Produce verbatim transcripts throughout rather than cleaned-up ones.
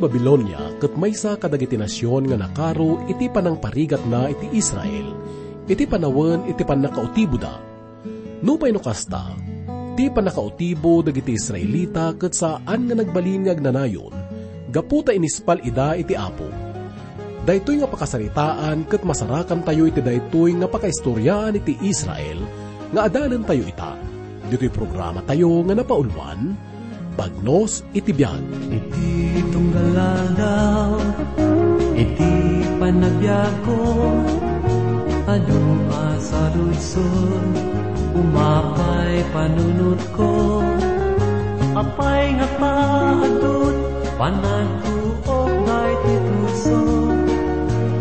Babilonia ket maysa kadagiti nasion nga nakaro iti panangparigatna iti Israel, iti panawen iti pannakautiboda. Nupay no kasta, ti pannakautibo dagiti Israelita ket saan nga nagbalin nga agnanayon, gapu ta inispal ida iti Apo. Daytoy nga pakasaritaan ket masarakantayo iti daytoy nga pakaistoriaan iti Israel nga adalentayo ita. Ditoy programatayo nga napauluan, Bagnos iti Biag. Iti tunggal aldaw, iti panagbiagko, adu a saludsod, umapay panunotko. Apay nga paadut, panagtuok daytoy puso,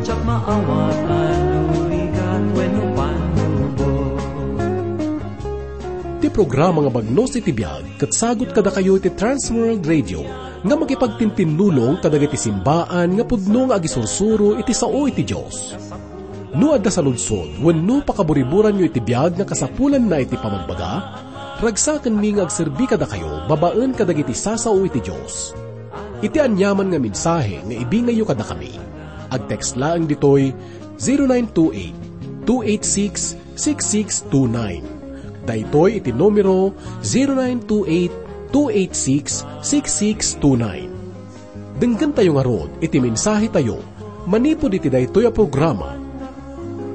diak maawatan no rigat wenno pannubo. Ti programa nga Bagnos iti Biag ket sagut kadakayo iti Transworld Radio nga makipagtintinnulong kadagiti simbaan nga pudno nga agisursuro iti sao iti Dios. No adda saludsod wenno pakaburiburanyo iti biag nga kasapulanna iti pamagbaga, ragsakenmi nga agserbi kadakayo babaen kadagiti sasao iti Dios. Iti aniaman nga mensahe nga ibingayyo kadakami, agtext laeng ditoy zero nine two eight, two eight six, six six two nine. Daytoy iti numero zero nine two eight, two eight six, six six two nine. Denggentayo ngarud iti mensahetayo manipud iti daytoy a programa,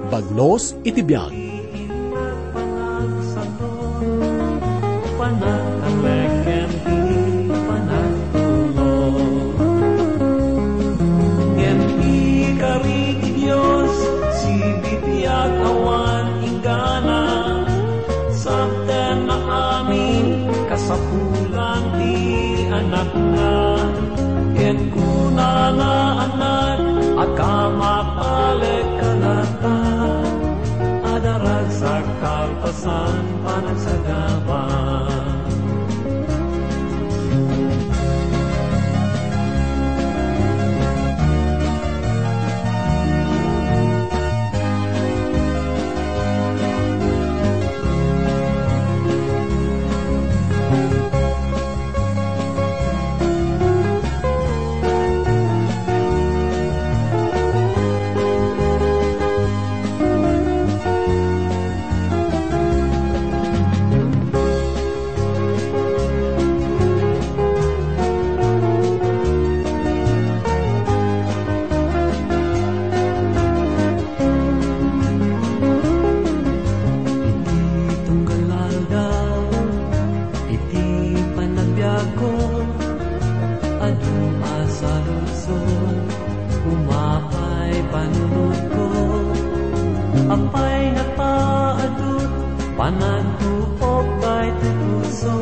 Bagnos iti Biag. Panagtalek ken ti panagtulnog. Ngem ti kari ti Dios, sibibiag awan inggana. Sabtenna amin kasapulan ti Anakna. Ket kunana, Anak, agkamapalek ka latta. Adda ragsak kalpasan panagsagaba. Iti tunggal aldaw, iti panagbiagko, adu a saludsod, umapay panunotko. Apay nga paadut, panagtuok daytoy puso,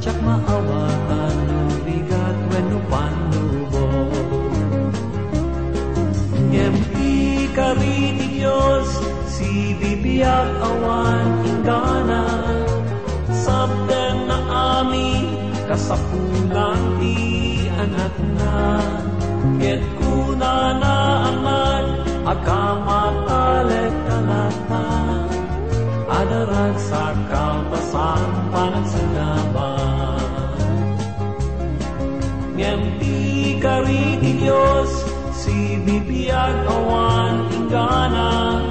diak maawatan no rigat wenno pannubo. Ngem ti kari ti Dios, sibibiag awan inggana. Sabtenna amin kasapulan ti Anakna. Ket kunana, Anak, agkamapalek ka latta. Adda ragsak kalpasan panagsagaba. Ngem ti kari ti Dios, sibibiag awan inggana.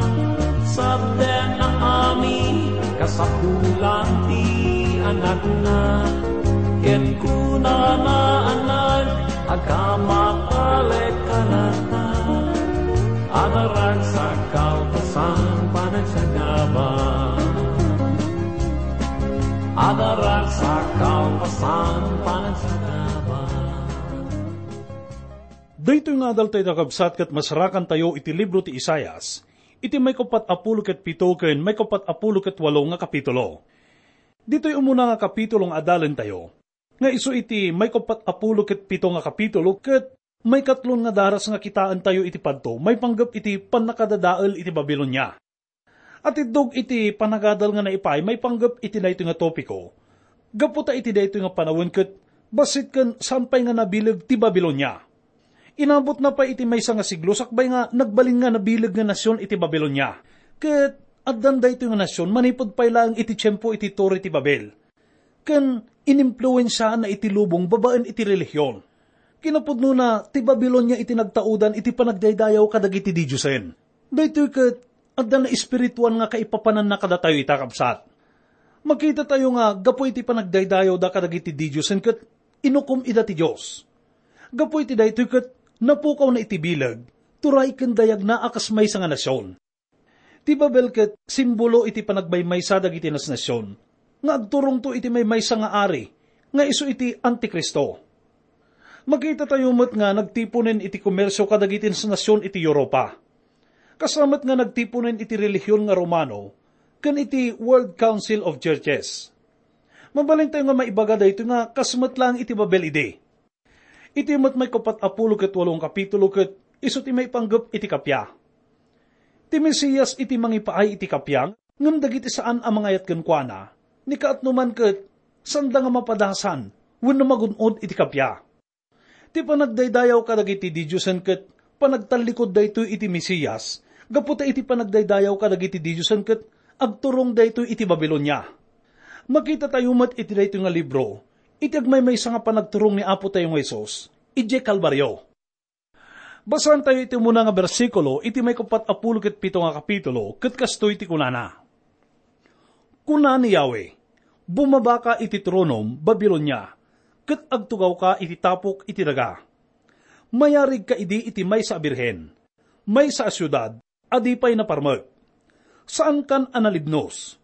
Sabtenna amin kasapulan ti Anakna. Ket kunana, Anak, agkamapalek ka latta. Adda ragsak kalpasan panagsagaba. Adda ragsak kalpasan panagsagaba. Daytoy nga adal tayo, kakabsat, ket masarakantayo iti libro ti Isaias, iti maikuppat a pulo ket pito ken maikuppat a pulo ket walo nga kapitulo. Ditoy umuna nga kapitulo nga adalentayo, nga isu iti maikuppat a pulo ket pito nga kapitulo ket maikatlon nga daras nga kitaentayo iti padto maipanggep iti pannakadadael iti Babilonia. Atiddog iti panagadal nga naipaay maipanggep iti daytoy nga topiko. Gapu ta iti daytoy nga panawen ket bassit ken saan pay nga nabileg ti Babilonia. Inabotna pay iti maysa nga siglo sakbay nga nagbalin nga nabileg nga nasion iti Babilonia. Ket addan daytoy nga nasion manipud pay laeng iti tiempo iti Tore ti Babel. Ken inimpluensiaanna iti lubong babaen iti relihion. Kinapudnona, ti Babilonia iti nagtaudan iti panagdaydayaw kadagiti didiosen. Daytoy ket adda naespirituan nga kaipapananna kadatayo ita, kabsat. Makitatayo nga gapu iti panagdaydayawda kadagiti didiosen ket inukom ida ti Dios. Gapu iti daytoy ket napukawna iti bileg, turay ken dayagna a kas maysa nga nasion. Ti Babel ket simbolo iti panagmaymaysa dagiti nasnasion nga agturongto iti maymaysa nga ari nga isu iti Antikristo. Makitatayo met nga nagtiponen iti komersio kadagiti nasnasion iti Europa. Kasta met nga nagtiponen iti relihion nga Romano ken iti World Council of Churches. Mabalintayo nga maibaga daytoy nga kas met laeng iti Babel idi. Iti met maikapat a pulo ket walo nga kapitulo ket isu ti maipanggep iti kappia. Ti Mesias iti mangipaay iti kappia, ngem dagiti saan a mangayat kenkuana, ni kaatno man ket saanda nga mapadasan wenno magun-od iti kappia. Ti panagdaydayaw kadagiti didiosen ket panagtallikud daytoy iti Mesias, gapu ta iti panagdaydayaw kadagiti didiosen ket agturong daytoy iti Babilonia. Makitatayo met iti daytoy nga libro iti agmaymaysa nga panagturong ni Apotayo nga Jesus idiay Kalbario. Basaentayo iti umuna nga bersikulo iti maikapat a pulo ket pito nga kapitulo, ket kastoy ti kunana: Kuna ni Yahweh, "Bumabaka iti tronom, Babilonia, ket agtugawka iti tapok iti daga. Mayarigka idi iti maysa a birhen, maysa a siudad a di pay naparmek. Saankan a nalibnos.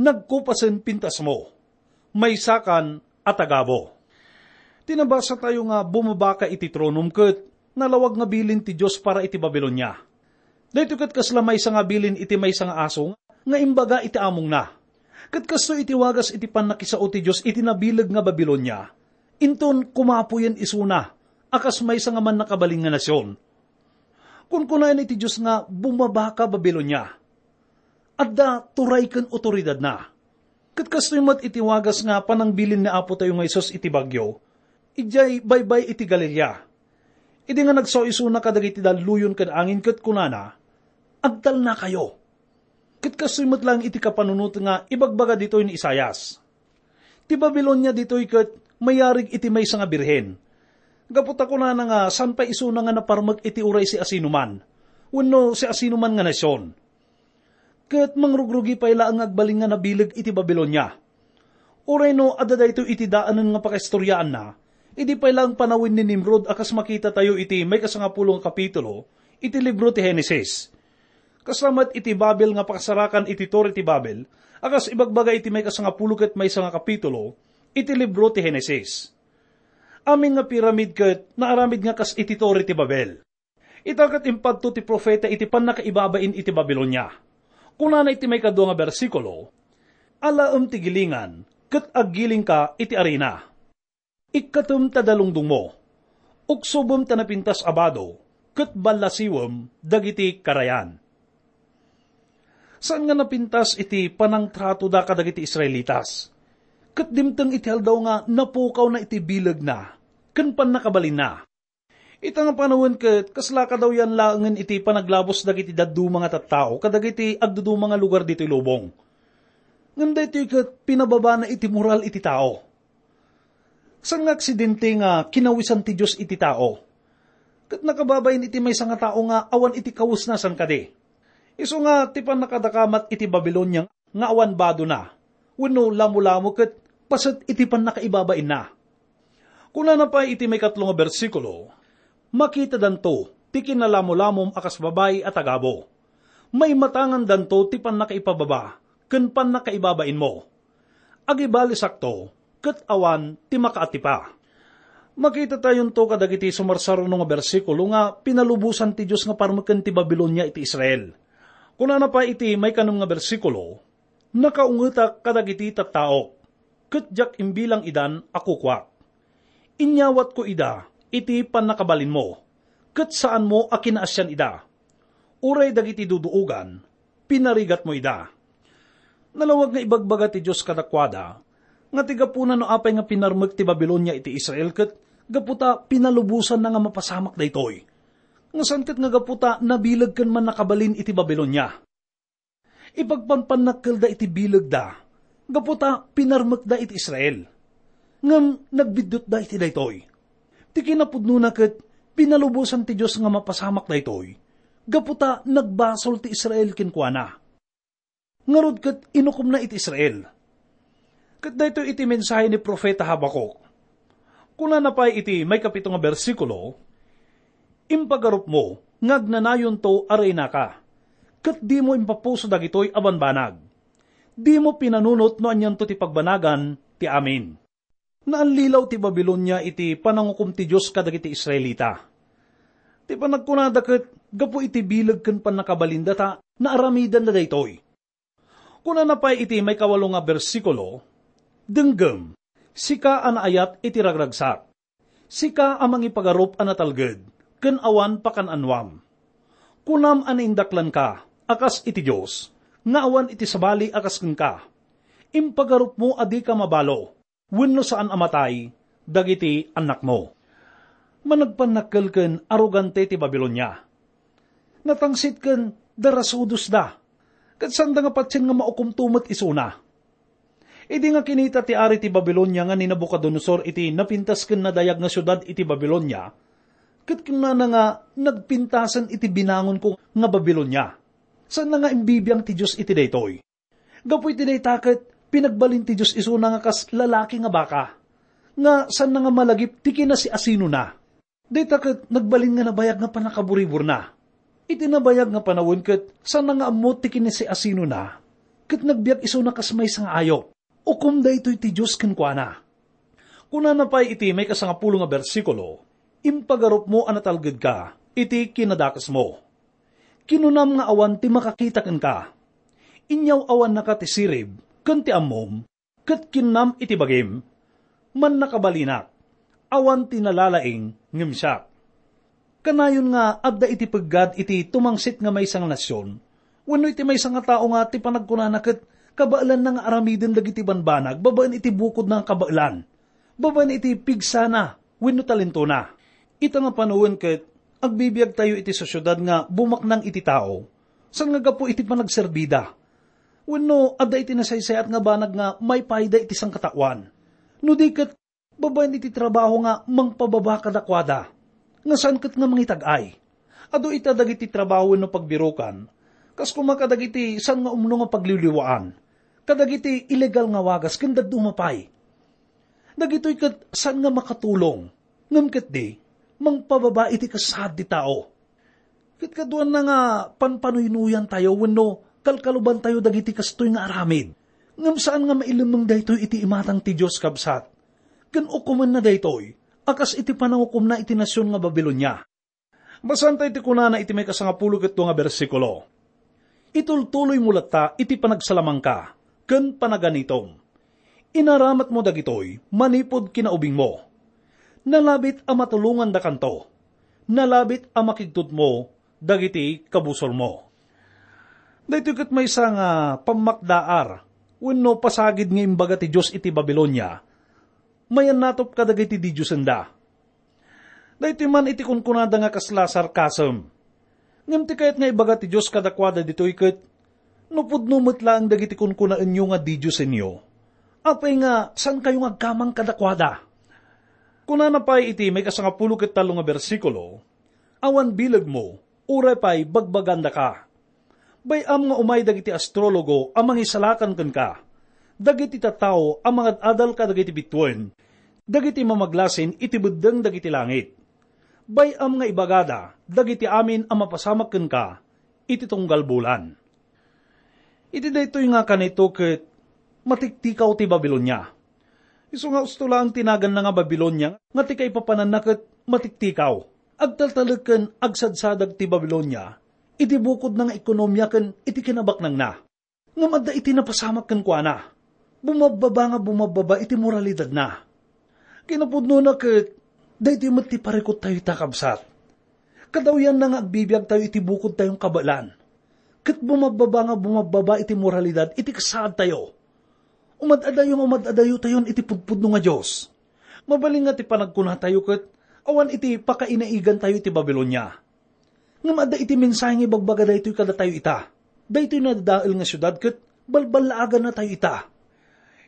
Nagkupasen pintasmo. Maysakan a tagabo." Ti nabasatayo nga bumabaka iti tronom ket nalawag nga bilin ti Dios para iti Babilonia. Daytoy ket kasla maysa nga bilin iti maysa nga aso nga imbaga iti amongna. Ket kastoy iti wagas iti pannakisao ti Dios iti nabileg nga Babilonia, inton kumapuyen isuna a kas maysa nga mannakabalin nga nasion. Kunkunaen iti Dios nga bumabaka Babilonia. Adda turay ken otoridadna. Ket kastoy met iti wagas nga panangbilin ni Apotayo nga Jesus iti bagyo, idiay baybay iti Galilea. Idi nga nagsao isuna kadagiti dalluyon ken angin ket kunana, "Agtalnakayo." Ket kastoy met laeng iti kapanunot nga ibagbaga ditoy ni Isaias. Ti Babilonia ditoy ket mayarig iti maysa nga birhen. Gapu ta kunana nga saan pay isuna nga naparmek iti uray siasinoman, wenno siasinoman nga nasion. Ket mangrugrugi pay laeng nga agbalin nga nabileg iti Babilonia. Uray no adda daytoy iti daanen nga pakaistoriaanna, idi pay laeng panawen ni Nimrod a kas makitatayo iti maikasangapulo nga kapitulo iti libro ti Genesis. Kasta met iti Babel nga pakasarakan iti Torre ti Babel, a kas ibagbaga iti maikasangapulo ket maysa nga kapitulo iti libro ti Genesis. Amin nga piramid ket naaramid nga kas iti Torre ti Babel. Ita ket impadto ti profeta iti pannakaibabain iti Babilonia. Kunana iti maikadua nga bersikulo, "Alaem ti gilingan, ket aggilingka iti arina. Ikkatem ta dalungdongmo, uksobem ta napintas a bado, ket ballasiwem dagiti karayan." Saan nga napintas iti panangtratoda kadagiti Israelitas, ket dimteng iti aldaw nga napukawna iti bilegna ken pannakabalinna. Ita nga panawen ket kasla kadawyan laengen iti panaglabos dagiti dadduma nga tattao kadagiti agduduma nga lugar ditoy lubong. Ngem daytoy ket pinababana iti moral iti tao. Saan nga aksidente nga kinawisan ti Dios iti tao, ket nakababain iti maysa nga tao nga awan iti kawesna saan kadi. Isu nga ti pannakadakamat iti Babilonia nga awan badona, wenno lamolamo ket paset iti pannakaibabainna. Kunana pay iti maikatlo nga bersikulo, "Makitadanto ti kinalamolamom a kas babai a tagabo. Maimatangandanto ti pannakaipababa ken pannakaibabainmo. Agibalisakto, ket awan ti makaatipa." Makitatayonto kadagiti sumarsaruno nga bersikulo nga pinalubosan ti Dios nga parmeken ti Babilonia iti Israel. Kunana pay iti maikanem nga bersikulo, "Nakaungetak kadagiti tattaok, ket diak imbilang idan a kukuak. Inyawatko ida iti pannakabalinmo, ket saanmo a kinaasian ida. Uray dagiti duduogan, pinarigatmo ida." Nalawag nga ibagbaga ti Dios kadakuada nga ti gapuna no apay nga pinarmek ti Babilonia iti Israel ket gapu ta pinalubosanna nga mapasamak daytoy, nga saan ket nga gapu ta nabileg ken mannakabalin iti Babilonia. Ipagpanpannakkelda iti bilegda gapu ta pinarmekda iti Israel. Ngem nagbiddutda iti daytoy. Ti kinapudnona ket pinalubosan ti Dios nga mapasamak daytoy, gapu ta nagbasol ti Israel kenkuana. Ngarud ket inukomna iti Israel. Ket daytoy iti mensahe ni Profeta Habacuc. Kunana pay iti maikapito nga bersikulo, "Impagarupmo nga agnanayonto a reynaka, ket dimo impapuso dagitoy a banbanag. Dimo pinanunot no anianto ti pagbanagan ti amin." Naallilaw ti Babilonia iti panangukom ti Dios kadagiti Israelita. Ti panagkunada ket gapu iti bileg ken pannakabalinda ta naaramidenda daytoy. Kunana pay iti maikawalo nga bersikulo, "Denggem, sika a naayat iti ragragsak, sika a mangipagarup a natalged ken awan pakan-anoam. Kunam a naindaklanka a kas iti Dios, nga awan iti sabali a kas kenka. Impagarupmo a dika mabalo wenno saan a matay dagiti annakmo." Managpannakkel ken arogante ti Babilonia. Natangsit ken darasudosda, ket saanda nga patien nga maukomto met isuna. Idi nga kinita ti ari ti Babilonia nga ni Nabucodonosor iti napintas ken nadayag nga siudad iti Babilonia, ket kunana nga, "Nagpintasen iti binangonko nga Babilonia." Saanna nga imbibiang ti Dios iti daytoy. Gapu iti dayta ket pinagbalin ti Dios isuna nga kas lalaki nga baka, nga saanna nga malagip ti kinasiasinona. Dayta ket nagbalin nga nabayag nga pannakaburiburna. Iti nabayag nga panawen ket saanna nga ammo ti kinasiasinona, ket nagbiag isuna kas maysa nga ayup. Ukom daytoy ti Dios kenkuana. Kunana pay iti maikasangapulo nga bersikulo, "Impagarupmo a natalgedka iti kinadakesmo. Kinunam nga awan ti makakita kenka. Inyaw-awannaka ti sirib ken ti ammom, ket kinnam iti bagim, 'Mannakabalinak, awan ti nalalaing ngem siak.'" Kanayon nga adda iti peggad iti tumangsit nga maysa nga nasion, wenno iti maysa nga tao nga ti panagkunana ket kabaelanna nga aramiden dagiti banbanag babaen iti bukodna nga kabaelan, babaen iti pigsana wenno talentona. Ita nga panawen ket agbibiagtayo iti sosiedad nga bumaknang iti tao, saan nga gapu iti panagserbida. Wenno adda iti nasaysayaat nga banag nga maipayda iti sangkataoan. No di ket babaen iti trabaho nga mangpababa kadakuada, nga saan ket nga mangitag-ay. Adu ita dagiti trabaho wenno pagbirokan, kas koma kadagiti saan nga umno nga pagliwliwaan, kadagiti ilegal nga wagas ken dadduma pay. Dagitoy ket saan nga makatulong, ngem ketdi, mangpababa iti kasaad ti tao. Ket kaduanna nga panpanuynuyantayo wenno kalkalubantayo dagiti kastoy nga aramid. Ngem saan nga mailemmeng daytoy iti imatang ti Dios, kabsat. Ken ukomenna daytoy a kas iti panangukomna iti nasion nga Babilonia. Basaentayo ti kunana iti maikasangapulo ket dua nga bersikulo, "Itultuloymo latta iti panagsalamangka ken panaganitom. Inaramatmo dagitoy manipud kinaubingmo. Nalabit a matulongandakanto. Nalabit a makigtudmo dagiti kabusormo." Daytoy ket maysa nga pammakdaar wenno pasagid nga imbaga ti Dios iti Babilonia, mayannatop kadagiti didiosenda. Daytoy man iti kunkunada nga kasla sarcasm. Ngem ti kayat nga ibaga ti Dios kadakuada ditoy ket, "No pudno met laeng dagiti kunkunaenyo nga didiosenyo, apay nga saankayo nga agkamang kadakuada?" Kunana pay iti maikasangapulo ket tallo nga bersikulo, "Awan bilegmo, uray pay bagbagandaka. Bay-am nga umay dagiti astrologo a mangisalakan kenka, dagiti tattao a mangad-adal kadagiti bituen, dagiti mamaglasin iti beddeng dagiti langit. Bay-am nga ibagada dagiti amin a mapasamak kenka iti tunggal bulan." Iti daytoy nga kanito ket matiktikaw ti Babilonia. Isu nga usto laeng ti naganna nga Babilonia nga ti kaipapananna ket matiktikaw. Agtaltalek ken agsadsadag ti Babilonia iti bukodna nga ekonomia ken iti kinabaknangna. Ngem adda iti napasamak kenkuana. Bumabbaba nga bumabbaba iti moralidadna. Kinapudnona ket daytoy met ti parikuttayo ita, kabsat. Kadawyanna nga agbibiagtayo iti bukodtayon kabaelan, ket bumabbaba nga bumabbaba iti moralidad iti kasaadtayo. Umad-adayo nga umad-adayotayon iti pudpudno nga Dios. Mabalin nga ti panagkunatayo ket awan iti pakainaigantayo iti Babilonia. Ngem adda iti mensahe nga ibagbaga daytoy kadatayo ita. Daytoy nadadael nga siudad ket balballaagannatayo ita.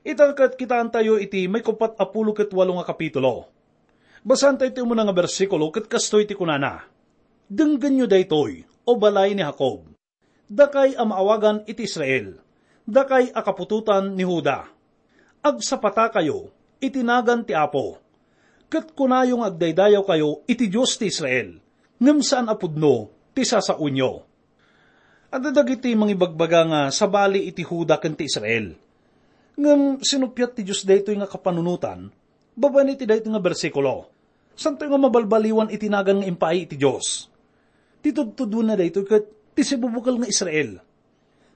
Ita ket kitaentayo iti maikuppat a pulo ket walo nga kapitulo. Basaentayo ti umuna nga bersikulo ket kastoy ti kunana, "Denggenyo daytoy, O balay ni Jacob, dakay a maawagan iti Israel, dakay a kaputotan ni Juda. Agsapatakayo iti nagan ti Apo, ket kunayo nga agdaydayawkayo iti Dios ti Israel, ngem saan a pudno ti sasaoenyo." Adda dagiti mangibagbaga nga sabali iti Juda ken ti Israel. Ngem sinuppiat ti Dios daytoy nga kapanunotan babaen iti daytoy nga bersikulo. Santoy nga mabalbaliwan iti nagan nga impaay iti Dios. Ti tudtuduenna daytoy ket ti sibubukel nga Israel.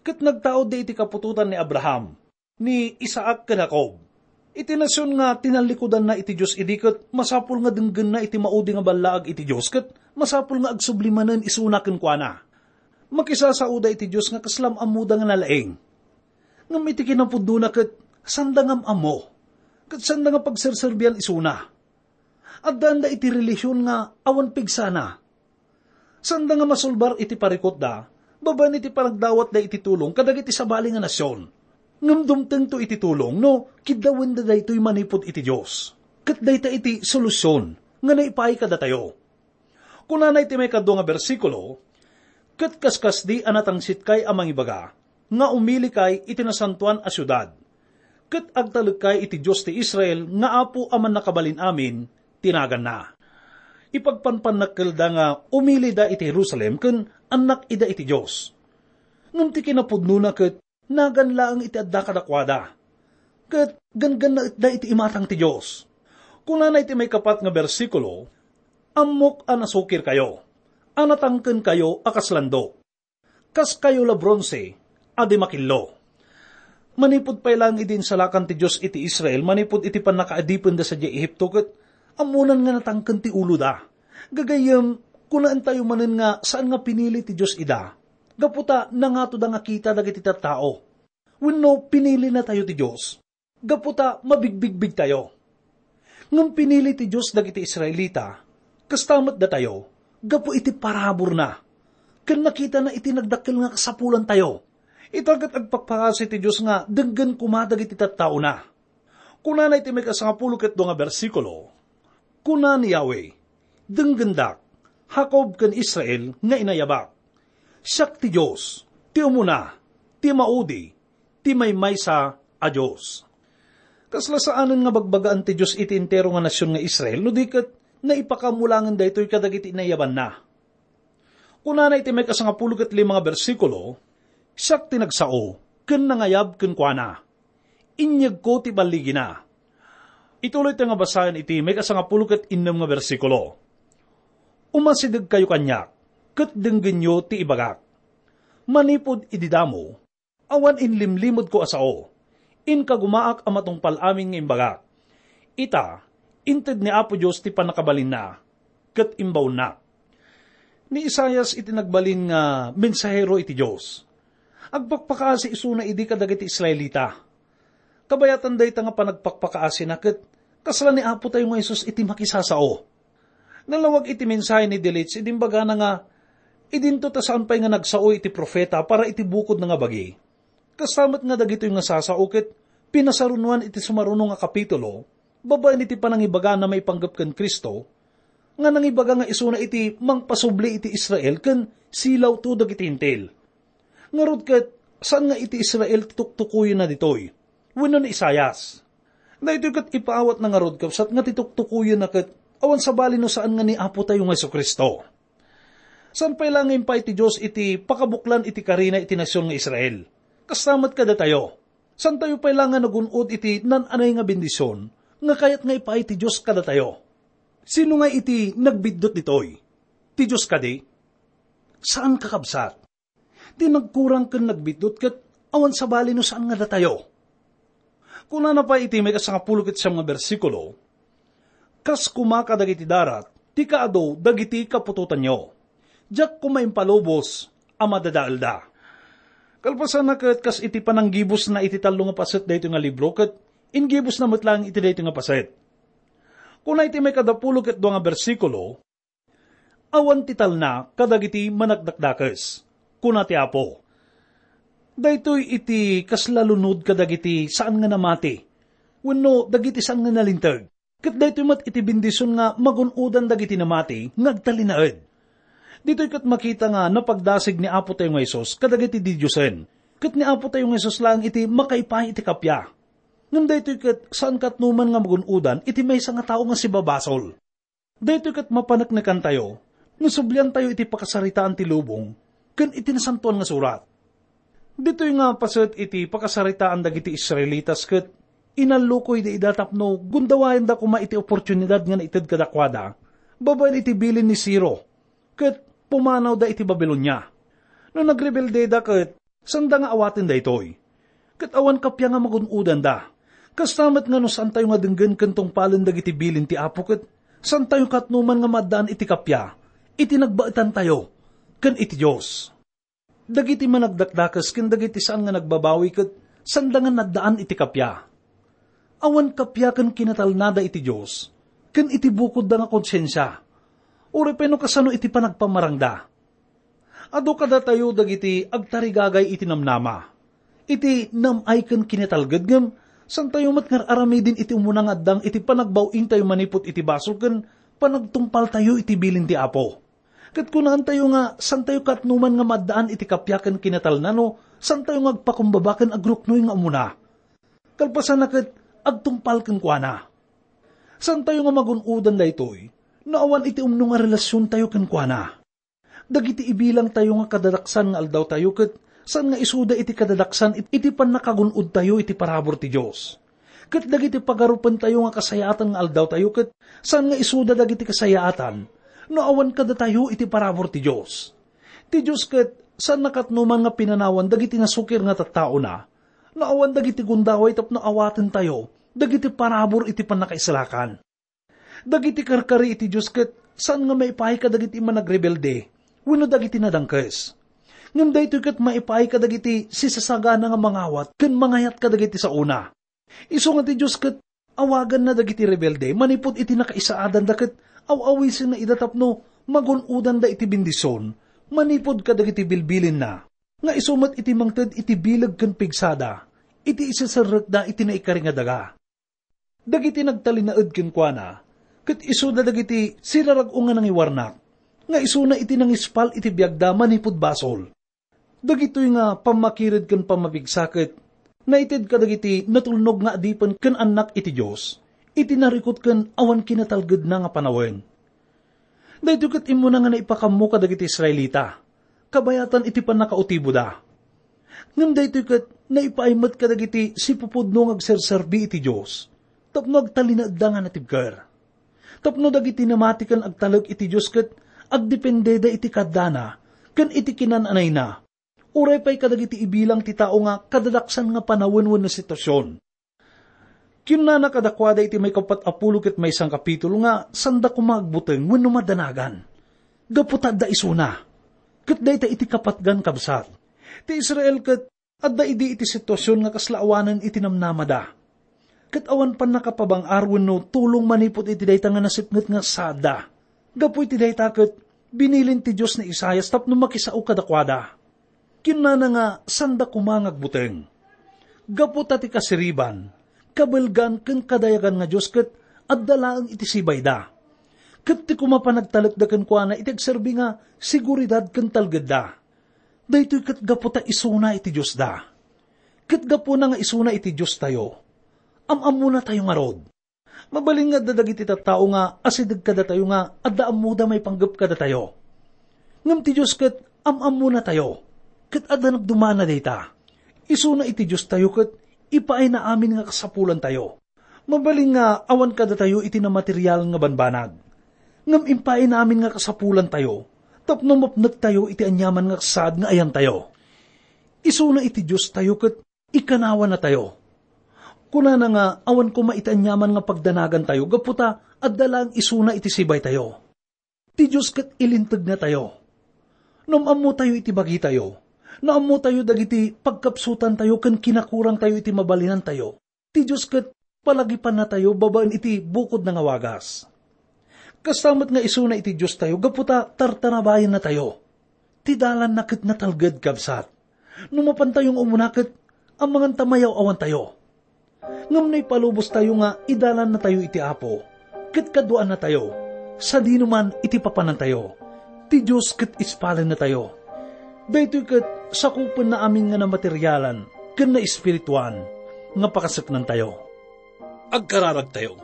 Ket nagtaudda iti kaputotan ni Abraham, ni Isaac ken Jacob. Iti nasion nga tinallikudanna iti Dios idi ket masapul nga denggenna iti maudi nga ballaag iti Dios ket masapul nga agsubli manen isuna kenkuana. Makisasaoda iti Dios nga kasla am-ammoda nga nalaing. Ngem iti kinapudnona ket sanda nga am-ammo, ket sanda nga pagserserbian isuna. Addaanda iti relihion nga awan pigsana. Sanda nga masulbar iti parikutda babaen iti panagdawatda iti tulong kadagiti sabali nga nasion. Ngem dumtengto iti tulong no kiddawenda daytoy manipud iti Dios. Ket dayta iti solusion nga naipaay kadatayo. Kunana iti maikadua nga bersikulo, "Ket kaskasdi a natangsitkay a mangibaga nga umilikay iti nasantoan a siudad, ket agtalekkay iti Dios ti Israel nga Apo a Mannakabalin-amin ti naganna." Ipagpanpannakkelda nga umilida iti Jerusalem ken annak ida iti Dios. Ngem ti kinapudnona ket nagan laeng iti adda kadakuada, ket ganggannaetda iti imatang ti Dios. Kunana iti maikapat nga bersikulo, "Ammok a nasukirkayo, a natangkenkayo a kas landok, kaskayo la bronse a di makillo." Manipud pay laeng idi insalakan ti Dios iti Israel manipud iti pannakaadipenda sadiay Ehipto, ket ammonan nga natangken ti uloda. Gagayyem, kunaentayo manen nga saan nga pinili ti Dios ida, gapu ta nangatoda nga kita dagiti tattao. Wenno pinilinatayo ti Dios gapu ta mabigbigbigtayo. Ngem pinili ti Dios dagiti Israelita, kasta met datayo, gapu iti paraburna. Ken nakitana iti nagdakkel nga kasapulantayo. Ita ket agpakpakasi ti Dios nga denggen koma dagiti tattaona. Kunana iti maikasangapulo ket dua nga bersikulo, "Kuna ni Yahweh, 'Denggendak, Jacob ken Israel nga inayabak. Siak ti Dios, ti umuna, ti maudi, ti maymaysa a Dios.'" Kasla saanen nga bagbagaan ti Dios iti entero nga nasion nga Israel no di ket naipakaammo laengen daytoy kadagiti inayabanna. Kunana iti maikasangapulo ket lima nga bersikulo, "Siak ti nagsao ken nangayab kenkuana. Inyegko ti balligina." Ituloyta nga basaen iti maikasangapulo ket innem nga bersikulo, "Umasidegkayo kaniak, ket denggenyo ti ibagak. Manipud idi damo, awan inlimlimedko a sao. Inkagumaak a matungpal amin nga imbagak. Ita, inted ni Apo Dios ti pannakabalinna, ket imbaonnak." Ni Isaias iti nagbalin nga mensahero iti Dios. Agpakpakaasi isuna idi kadagiti Israelita. Kabayatan dayta nga panagpakpakaasina ket kasla ni Apotayo nga Jesus iti makisasao. Nalawag iti mensahe ni Dilich idi imbagana nga, "Idinto ta saan pay nga nagsao iti profeta para iti bukodna nga bagi." Kasta met nga dagitoy nga sasao ket pinasarunoan iti sumaruno nga kapitulo, babaen iti panangibagana maipanggep ken Cristo, nga nangibaga nga isuna iti mangpasubli iti Israel ken silawto dagiti Hentil. Ngarud ket, saan nga iti Israel ti tuktukoyenna ditoy wenno ni Isaias. Daytoy ket ipaawatna ngarud, kabsat, nga ti tuktukoyenna ket awan sabali no saan nga ni Apotayo nga Jesu-Cristo. Saan pay la nga impaay ti Dios iti pakabuklan iti karina iti nasion nga Israel. Kasta met kadatayo. Saantayo pay la nga nagun-od iti naan-anay nga bendision nga kayat nga ipaay ti Dios kadatayo. Sino nga iti nagbiddut ditoy? Ti Dios kadi? Saan, kakabsat. Ti nagkurang ken nagbiddut ket awan sabali no saan nga datayo. Kunana pay iti maikasangapulo ket siam nga bersikulo, "Kas koma kadagiti darat ti kaadu dagiti kaputotanyo. Diak koma impalubos a madadaelda." Kalpasanna ket kas iti pananggibusna iti tallo nga paset daytoy nga libro ket inggibusna met laeng iti daytoy nga paset. Kuna iti maikadapulo ket dua nga bersikulo, "Awan ti talna kadagiti manakdakdakes," kuna ti Apo. Daytoy iti kasla lunod kadagiti saan nga namati wenno dagiti saan nga nalinteg. Ket daytoy met iti bendision nga magun-odan dagiti namati nga agtalinaed. Ditoy ket makita nga napagdasig ni Apo tayo nga Jesus kadagiti didiosen. Ket ni Apo tayo nga Jesus laeng iti makaipay iti kappia. Ngem daytoy ket saan katnoman nga magun-odan iti maysa nga tao nga sibabasol. Daytoy ket mapaneknekantayo no subliantayo iti pakasaritaan ti lubong ken iti Nasantoan nga Surat. Ditoy nga paset iti pakasaritaan dagiti Israelitas ket inallukoyda ida tapno gundawayenda koma iti oportunidad nga naited kadakuada babaen iti bilin ni Ciro ket pumanawda iti Babilonia. No nagrebeldeda ket sanda nga awaten daytoy. Ket awan kappia nga magun-odanda. Kasta met nga no saantayo nga denggen ken tungpalen dagiti bilin ti Apo ket saantayo katnoman nga maaddaan iti kappia iti nagbaetantayo ken iti Dios. Dagiti managdakdakes ken dagiti saan nga nagbabawi ket sanda nga naddaan iti kappia. Awan kappia ken kinatalnada iti Dios ken iti bukodda nga konsensia, uray pay no kasano iti panagpamarangda. Adu kadatayo dagiti agtarigagay iti namnama. Iti nam-ay ken kinatalged ngem, saantayo met nga ar-aramiden iti umuna nga addang iti panagbaw-ingtayo manipud iti basol ken panagtungpaltayo iti bilin ti Apo. Ket kunaantayo nga saantayo katnoman nga maaddaan iti kappia ken kinatalna no saantayo nga agpakumbaba ken agruknoy nga umuna. Kalpasanna ket agtungpal kenkuana. Saantayo nga magun-odan daytoy no awan iti umno nga relasiontayo kenkuana. Dagiti ibilangtayo nga kadadaksan nga aldawtayo ket saan nga isuda iti kadadaksan it-, iti pannakagun-odtayo iti parabur ti Dios. Ket dagiti pagarupentayo nga kasayaatan nga aldawtayo ket saan nga isuda dagiti kasayaatan no awan kadatayo iti parabur ti Dios. Ti Dios ket saan nakatnoman nga pinanawan dagiti nasukir nga tattaona no awan dagiti gundaway tapno awatentayo dagiti parabur iti pannakaisalakan. Dagiti karkari iti Dios ket saan nga maipaay kadagiti managrebelde wenno dagiti nadangkes. Ngem daytoy ket maipaay kadagiti sisasagana nga mangawat ken mangayat kadagiti saona. Isu nga ti Dios ket awaganna dagiti rebelde manipud iti nakaisaadanda ket aw-awisenna ida tapno magun-odanda iti bendision manipud kadagiti bilbilinna, nga isu met iti mangted iti bileg ken pigsada iti iseserrekda iti naikari nga daga. Dagiti nagtalinaed kenkuana, ket isuda dagiti sirarag-o nga nangiwarnak, nga isuna iti nangispal iti biagda manipud basol. Dagitoy nga pammakired ken pammapigsa ket naited kadagiti natulnog nga adipen ken annak iti Dios, iti narikut ken awan kinatalgedna nga panawen. Daytoy ket immuna nga naipakammo kadagiti Israelita, kabayatan iti pannakautiboda. Ngem daytoy ket naipaay met kadagiti sipupudno nga agserserbi iti Dios tapno agtalinaedda nga natibker. Tapno dagiti namati ken agtalek iti Dios ket agdependeda iti kaddana ken iti kinan-anayna, uray pay kadagiti ibilang ti tao nga kadadaksan nga panawen wenno sitwasion. Kinnana kadakuada iti maikapat a pulo ket maysa a kapitulo nga sanda koma agbuteng wenno madanagan gapu ta adda isuna. Ket dayta iti kapatgan, kabsat. Ti Israel ket adda idi iti situasion nga kasla awanen iti namnamada. Ket awan pannakapabang-ar wenno tulong manipud iti dayta nga nasipnget nga saadda. Gapu iti dayta ket binilin ti Dios ni Isaias tapno makisao kadakuada. Kinnana nga sanda koma nga agbuteng. Gapu ta ti kasiriban, kabelgan ken kadayagan nga Dios ket adda laeng iti sibayda. Ket ti koma panagtalekda kenkuana iti agserbi nga seguridad ken talgedda. Daytoy ket gapu ta isuna iti Diosda. Ket gapuna nga isuna iti Diostayo, am-ammonatayo ngarud. Mabalin nga adda dagiti tattao nga asideg kadatayo nga adda ammoda maipanggep kadatayo. Ngem ti Dios ket am-ammonatayo, ket adda nagdumana dayta. Isuna iti Diostayo ket ipaayna amin nga kasapulantayo. Mabalin nga awan kadatayo iti namaterial nga banbanag. Ngem impaayna amin nga kasapulantayo tapno mapnektayo iti aniaman nga saad nga ayantayo. Isuna iti Diostayo ket ikanawannatayo. Kunana nga awan koma iti aniaman nga pagdanagantayo gapu ta adda laeng isuna iti sibaytayo. Ti Dios ket ilintegnatayo. No am-ammotayo iti bagitayo, no ammotayo dagiti pagkapsutantayo ken kinakurangtayo iti mabalinantayo, ti Dios ket palagipannatayo babaen iti bukodna nga wagas. Kasta met nga isuna iti Diostayo gapu ta tartarabayennatayo. Ti dalanna ket natalged, kabsat. No mapantayo nga umuna ket amangan ta mayaw-awantayo. Ngem naipalubostayo nga idalannatayo iti Apo, ket kaduaannatayo, sadinoman iti papanantayo, ti Dios ket ispalennatayo. Daytoy ket sakupenna amin nga namaterialan ken naespirituan nga pakaseknantayo. Agkararagtayo.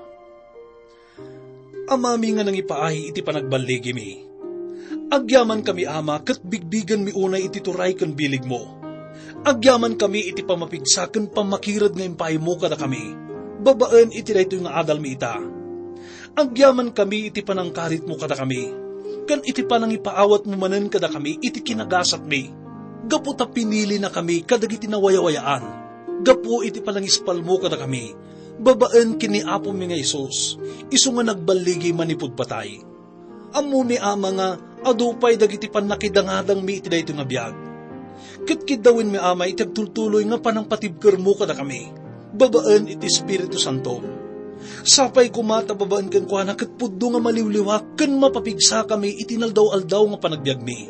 Amami nga nangipaay iti panagballigimi. Agyamankami, Ama, ket bigbigenmi unay iti turay ken biligmo. Agyamankami iti pammapigsa ken pammakired nga impaaymo kadakami, babaen iti daytoy nga adalmi ita. Agyamankami iti panangkaritmo kadakami, ken iti panangipaawatmo manen kadakami iti kinagasatmi, gapu ta pinilinakami kadagiti nawayawayaan, gapu iti panangispalmo kadakami, babaen ken ni Apomi nga Jesus, isu nga nagballigi manipud patay. Ammomi, Ama, nga adu pay dagiti pannakidangadangmi iti daytoy nga biag. Ket kiddawenmi, Ama, iti agtultuloy nga panangpatibkermo kadakami, babaen iti Espiritu Santo. Sapay koma ta babaen kenkuana ket pudno nga maliwliwa ken mapapigsakami iti naldaw-aldaw nga panagbiagmi.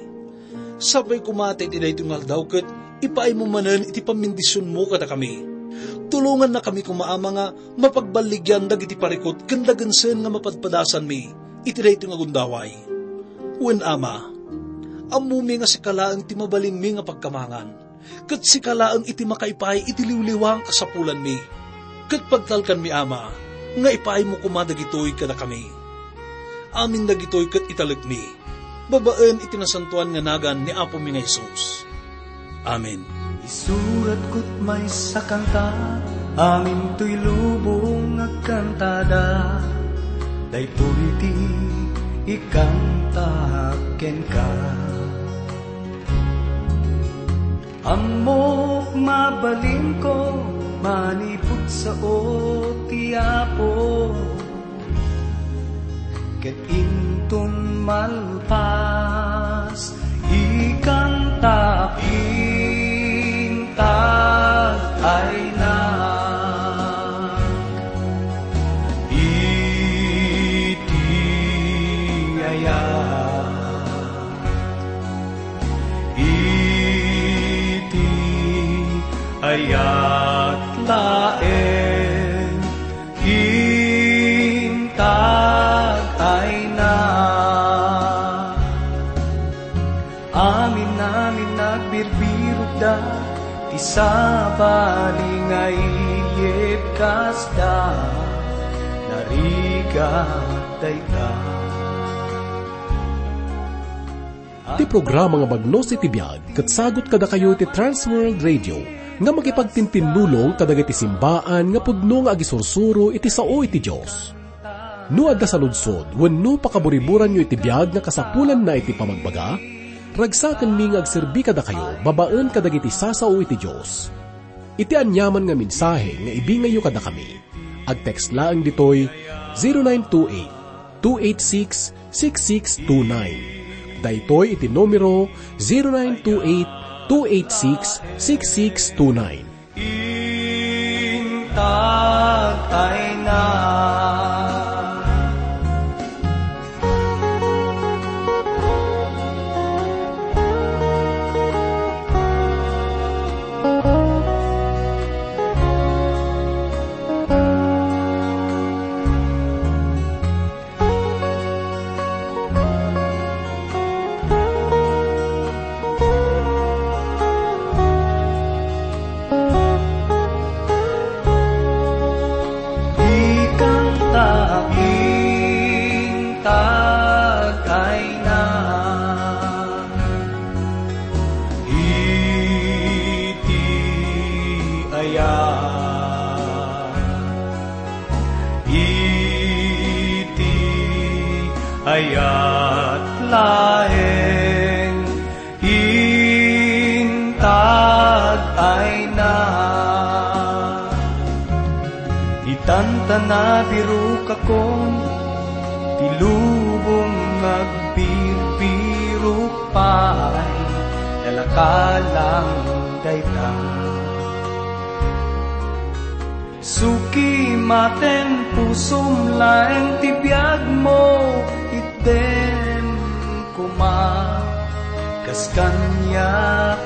Sapay koma ta iti daytoy nga aldaw ket ipaaymo manen iti pammendisionmo kadakami. Tulongannakami koma, Ama, nga mapagballigian dagiti parikut ken dagensen nga mapadpadasanmi iti daytoy nga gundaway. Wen, Ama, ammomi nga sika laeng ti mabalinmi nga pagkamangan, ket sika laeng iti makaipaay iti liwliwa nga kasapulanmi. Ket pagtalkanmi, Ama, nga ipaaymo koma dagitoy kadakami. Amin dagitoy ket italekmi, babaen iti nasantoan nga nagan ni Apomi nga Jesus. Amen. Isuratko maysa a kanta, amin toy lubong agkantada, daytoy ti ikanta kenka. Ammok mabalinko manipud sao ti Apo, ket inton malpas, ikantak, intag aynak iti ayat. Iti ayat laeng intag ayna. Amin-amin nagbirbirokda, ti sabali nga iyebbkasda, narigat dayta. Ti programa nga Bagnos iti Biag ket sagut kadakayo ti Trans World Radio nga makipagtintinnulong kadagiti simbaan nga pudno nga agisursuro iti sao iti Dios. No adda saludsod wenno pakaburiburanyo iti biag nga kasapulanna iti pamagbaga, ragsakenmi nga agserbi kadakayo babaen kadagiti sasao iti Dios. Iti aniaman nga mensahe nga ibingayyo kadakami, ag-text laeng ditoy zero nine two eight, two eight six, six six two nine. Daytoy iti numero zero nine two eight, two eight six, six six two nine. Intag ayna. Ikanta intag ayna. Iti ayat, iti ayat laeng intag ayna. Ditan ta nabirokakon, ti lubong agbirbirok pay, nalakalang dayta. Suki maten pusom laeng ti biagmo, itdem koma, kas kaniak